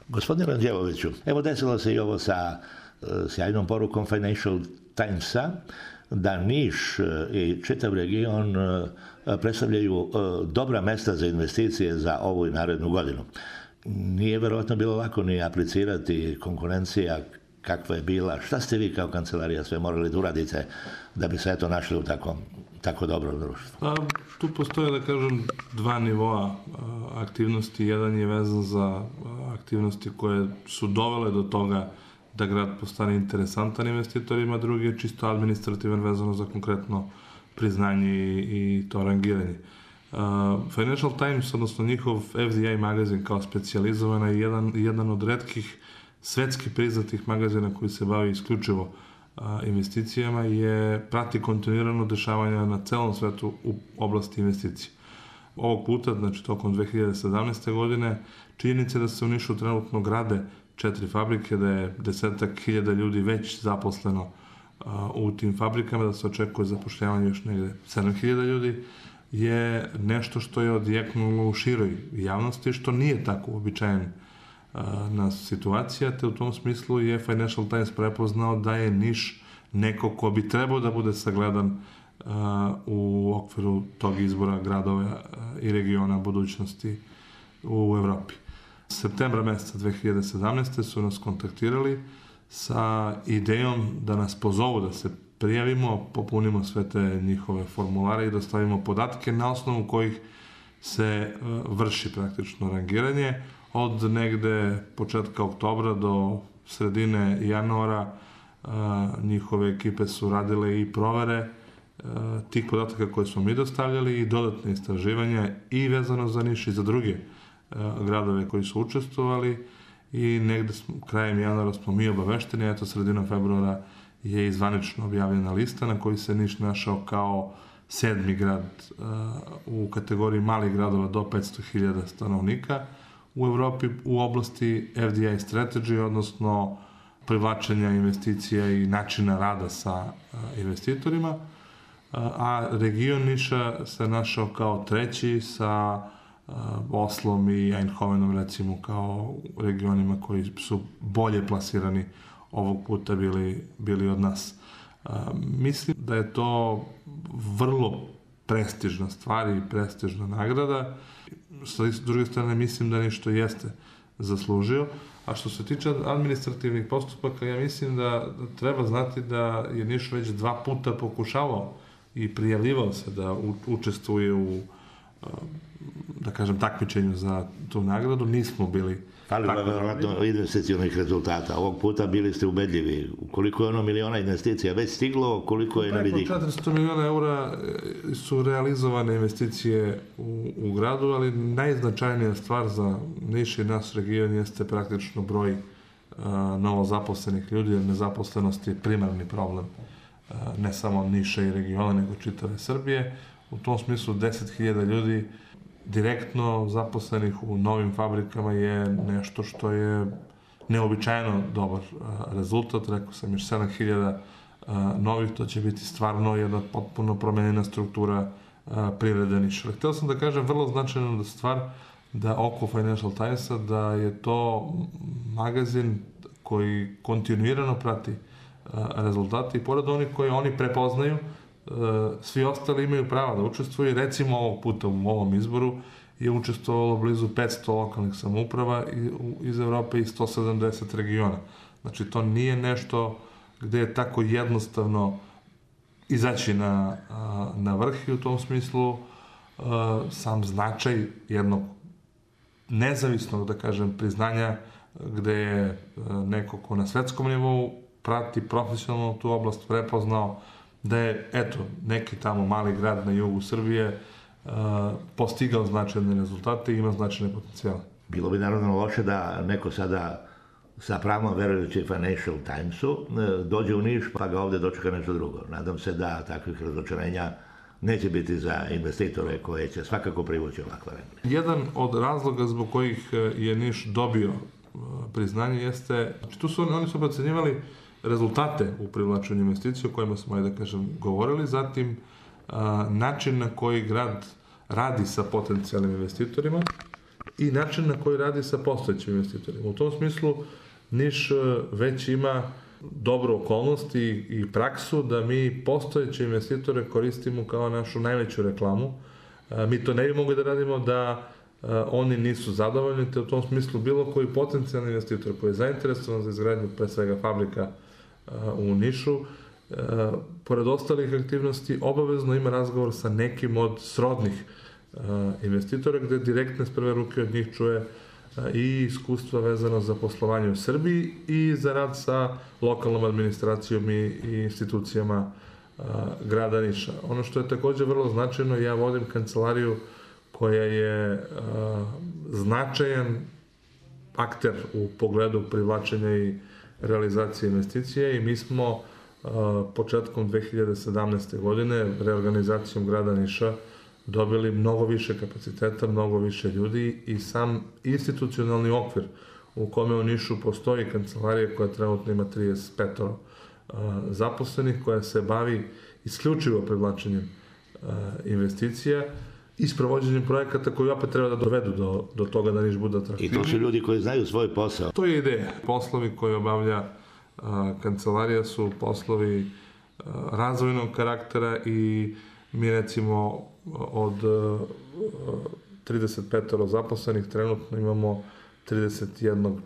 Gospodine Ranđeloviću, evo desilo se i ovo sa sjajnom porukom Financial Timesa, da Niš i čitav region predstavljaju dobra mesta za investicije za ovu i narednu godinu. Nije verovatno bilo lako ni aplicirati, konkurencija kakva je bila. Šta ste vi kao kancelarija sve morali da uradite da bi se eto našli u tako dobrom društvu? Tu postoje, da kažem, dva nivoa aktivnosti. Jedan je vezan za aktivnosti koje su dovele do toga da grad postane interesantan investitorima, drugi je čisto administrativan, vezano za konkretno priznanje i to rangiranje. Financial Times, odnosno njihov FDI magazin kao specijalizovan je jedan od retkih svetski priznatih magazina koji se bavi isključivo investicijama, prati kontinuirano dešavanja na celom svetu u oblasti investicija. Ovog puta, znači tokom 2017. godine, činjenica da se u Nišu trenutno grade 4 fabrike, da je 10.000 ljudi već zaposleno u tim fabrikama, da se očekuje zapošljavanje još negde 7.000 ljudi, je nešto što je odjeknulo u široj javnosti, što nije tako uobičajen situacija, te u tom smislu je Financial Times prepoznao da je Niš neko ko bi trebao da bude sagledan u okviru tog izbora gradova i regiona budućnosti u Evropi. Septembra meseca 2017. su nas kontaktirali sa idejom da nas pozovu da se prijavimo, popunimo sve te njihove formulare i dostavimo podatke na osnovu kojih se vrši praktično rangiranje. Od negde početka oktobra do sredine januara njihove ekipe su radile i provere tih podataka koje smo mi dostavljali i dodatne istraživanja i vezano za Niš i za druge gradove koji su učestvovali i negde krajem januara smo mi obavešteni, eto sredinom februara je zvanično objavljena lista na kojoj se Niš našao kao 7. grad u kategoriji malih gradova do 500.000 stanovnika u Evropi u oblasti FDI strategy, odnosno privlačenja investicija i načina rada sa investitorima, a region Niša se našao kao 3. sa Oslom i Eindhovenom recimo kao regionima koji su bolje plasirani ovog puta bili od nas. Mislim da je to vrlo prestižna stvar i prestižna nagrada. Sa druge strane mislim da Niš to jeste zaslužio. A što se tiče administrativnih postupaka, ja mislim da treba znati da je Niš već 2 puta pokušavao i prijavljivao se da učestvuje u, da kažem, takmičenju za tu nagradu. Nismo bili ali verovatno investicionih rezultata. Ovog puta bili ste ubedljivi. Koliko je ono miliona investicija već stiglo, koliko je na vidiku? Preko 400 miliona eura su realizovane investicije u gradu, ali najznačajnija stvar za Niš i naš region jeste praktično broj novozaposlenih ljudi, jer nezaposlenost je primarni problem ne samo Niša i regiona, nego čitave Srbije. U tom smislu 10.000 ljudi direktno zaposlenih u novim fabrikama je nešto što je neobičajeno dobar rezultat. Rekao sam još 7.000 novih, to će biti stvarno jedna potpuno promenjena struktura privrede Niša. Htio sam da kažem vrlo značajna stvar da oko Financial Timesa da je to magazin koji kontinuirano prati rezultate i pored onih koje oni prepoznaju, svi ostali imaju prava da učestvuju. Recimo ovog puta u ovom izboru je učestvovalo blizu 500 lokalnih samouprava iz Evrope i 170 regiona. Znači to nije nešto gde je tako jednostavno izaći na vrh i u tom smislu sam značaj jednog nezavisnog, da kažem, priznanja gde je neko ko na svetskom nivou prati profesionalno tu oblast prepoznao da je, eto, neki tamo mali grad na jugu Srbije postigao značajne rezultate i ima značajne potencijale. Bilo bi naravno loše da neko sada sa pravom verujući Financial Timesu dođe u Niš pa ga ovde dočeka nešto drugo. Nadam se da takvih razočarenja neće biti za investitore koje će svakako privući ovakva vremena. Jedan od razloga zbog kojih je Niš dobio priznanje jeste, znači oni su procenjivali rezultate u privlačenju investicija o kojima smo, da kažem, govorili, zatim način na koji grad radi sa potencijalnim investitorima i način na koji radi sa postojećim investitorima. U tom smislu Niš već ima dobru okolnost i praksu da mi postojeće investitore koristimo kao našu najveću reklamu. Mi to ne bi mogli da radimo da oni nisu zadovoljni, te u tom smislu bilo koji potencijalni investitor koji je zainteresovan za izgradnju pre svega fabrika u Nišu, pored ostalih aktivnosti obavezno ima razgovor sa nekim od srodnih investitora gde direktne s prve ruke od njih čuje i iskustva vezano za poslovanje u Srbiji i za rad sa lokalnom administracijom i institucijama grada Niša. Ono što je takođe vrlo značajno, ja vodim kancelariju koja je značajan akter u pogledu privlačenja i realizacije investicije i mi smo početkom 2017. godine reorganizacijom grada Niša dobili mnogo više kapaciteta, mnogo više ljudi i sam institucionalni okvir u kome u Nišu postoji kancelarija koja trenutno ima 35 zaposlenih, koja se bavi isključivo privlačenjem investicija i sprovođenjem projekata koji opet treba da dovedu do toga da Niš bude atraktivniji. I to su ljudi koji znaju svoj posao. To je ideja. Poslovi koje obavlja kancelarija su poslovi razvojnog karaktera i mi recimo od 35 zaposlenih trenutno imamo 31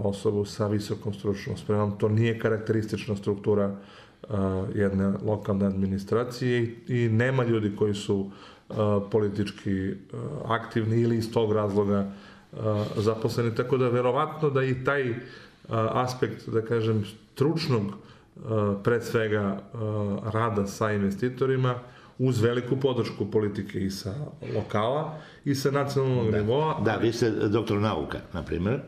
osobu sa visokom stručnom spremom. To nije karakteristična struktura jedne lokalne administracije i nema ljudi koji su politički aktivni ili iz tog razloga zaposleni. Tako da verovatno da i taj aspekt, da kažem, stručnog pre svega rada sa investitorima uz veliku podršku politike i sa lokala i sa nacionalnog nivoa. Da, vi ste doktor nauka, na primjer,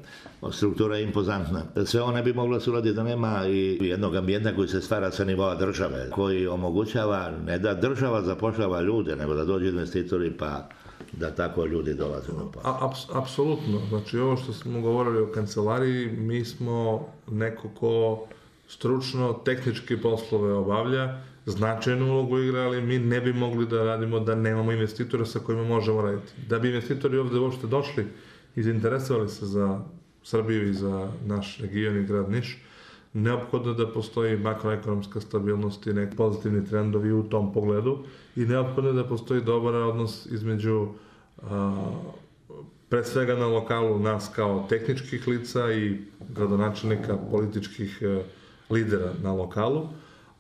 struktura je impozantna. Sve ovo ne bi moglo se uraditi da nema i jednog ambijenta koji se stvara sa nivoa države, koji omogućava ne da država zapošljava ljude, nego da dođu investitori pa da tako ljudi dolaze na posao. Apsolutno. Znači, ovo što smo govorili o kancelariji, mi smo neko ko stručno, tehnički poslove obavlja, značajnu ulogu igra, ali mi ne bi mogli da radimo da nemamo investitora sa kojima možemo raditi. Da bi investitori ovde uopšte došli i zainteresovali se za Srbiju i za naš region i grad Niš, neophodno da postoji makroekonomska stabilnost i neki pozitivni trendovi u tom pogledu i neophodno da postoji dobar odnos između pre svega na lokalu nas kao tehničkih lica i gradonačelnika, političkih lidera na lokalu,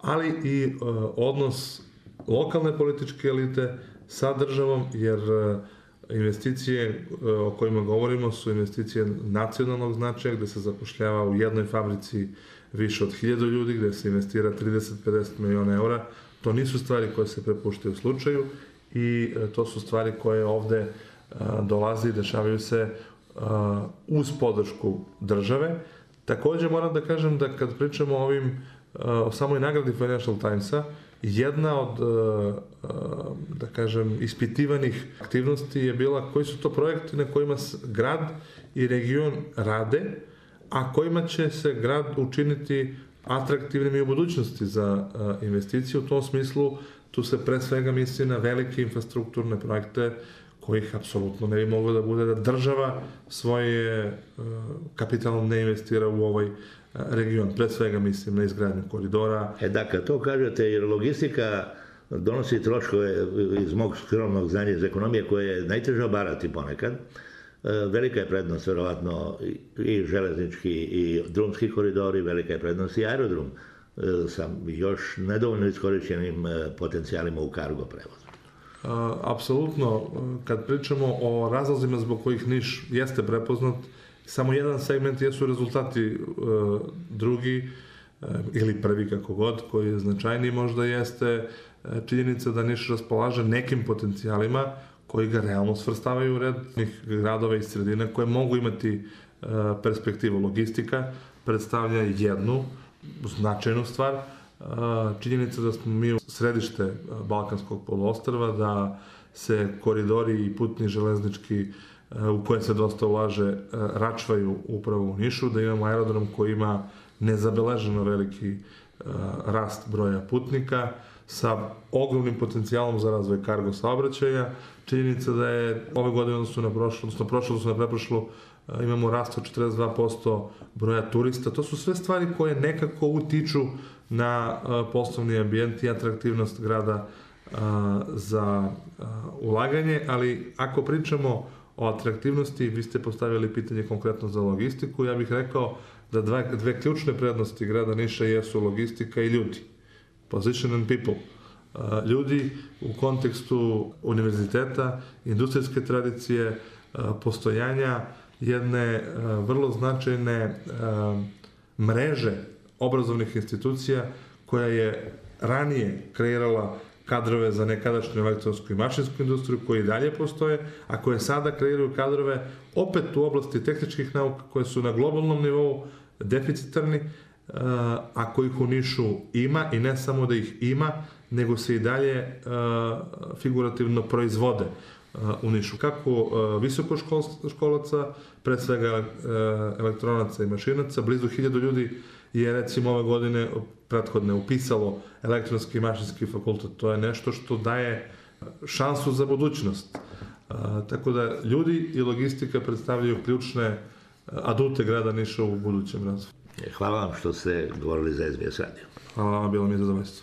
ali i odnos lokalne političke elite sa državom, jer investicije o kojima govorimo su investicije nacionalnog značaja, gde se zapošljava u jednoj fabrici više od 1000 ljudi, gde se investira 30-50 miliona eura. To nisu stvari koje se prepuštaju slučaju i to su stvari koje ovde dolaze i dešavaju se uz podršku države. Takođe moram da kažem da kad pričamo o samoj nagradi Financial Timesa, jedna od, da kažem, ispitivanih aktivnosti je bila koji su to projekti na kojima grad i region rade, a kojima će se grad učiniti atraktivnim i u budućnosti za investicije. U tom smislu tu se pre svega misli na velike infrastrukturne projekte kojih apsolutno ne bi moglo da bude da država svoje kapitalom ne investira u ovaj region. Pre svega mislim na izgradnju koridora. Da, kad to kažete, jer logistika donosi troškove iz mog skromnog znanja iz ekonomije koje je najteže obarati ponekad. Velika je prednost, verovatno, i železnički i drumski koridori, velika je prednost i aerodrom sa još nedovoljno iskorišćenim potencijalima u kargo prevozu. Apsolutno, kad pričamo o razlozima zbog kojih Niš jeste prepoznat, samo jedan segment jesu rezultati, drugi ili prvi kako god, koji je značajniji možda jeste činjenica da Niš raspolaže nekim potencijalima koji ga realno svrstavaju u red gradova i sredina koje mogu imati perspektivu. Logistika predstavlja jednu značajnu stvar, činjenica da smo mi središte Balkanskog poluostrva, da se koridori i putni železnički u koje se dosta ulaže račvaju upravo u Nišu, da imamo aerodrom koji ima nezabeleženo veliki rast broja putnika sa ogromnim potencijalom za razvoj kargo saobraćaja, činjenica da je ove godine odnosno na pretprošlu imamo rast od 42% broja turista. To su sve stvari koje nekako utiču na poslovni ambijent i atraktivnost grada za ulaganje, ali ako pričamo o atraktivnosti, vi ste postavili pitanje konkretno za logistiku, ja bih rekao da dve ključne prednosti grada Niša jesu logistika i ljudi. Position and people. Ljudi u kontekstu univerziteta, industrijske tradicije, postojanja jedne vrlo značajne mreže obrazovnih institucija koja je ranije kreirala kadrove za nekadašnju elektronsku i mašinsku industriju koji i dalje postoje, a koje sada kreiraju kadrove opet u oblasti tehničkih nauka koje su na globalnom nivou deficitarni, a kojih u Nišu ima i ne samo da ih ima, nego se i dalje figurativno proizvode u Nišu. Kako visokoškolaca, pre svega elektronaca i mašinaca, blizu 1000 ljudi je recimo ove godine prethodne upisalo elektronski i mašinski fakultet. To je nešto što daje šansu za budućnost. Tako da ljudi i logistika predstavljaju ključne adute grada Niša u budućem razvoju. Hvala vam što ste govorili za SBS radio. Hvala vam, bilo mi je zadovoljstvo.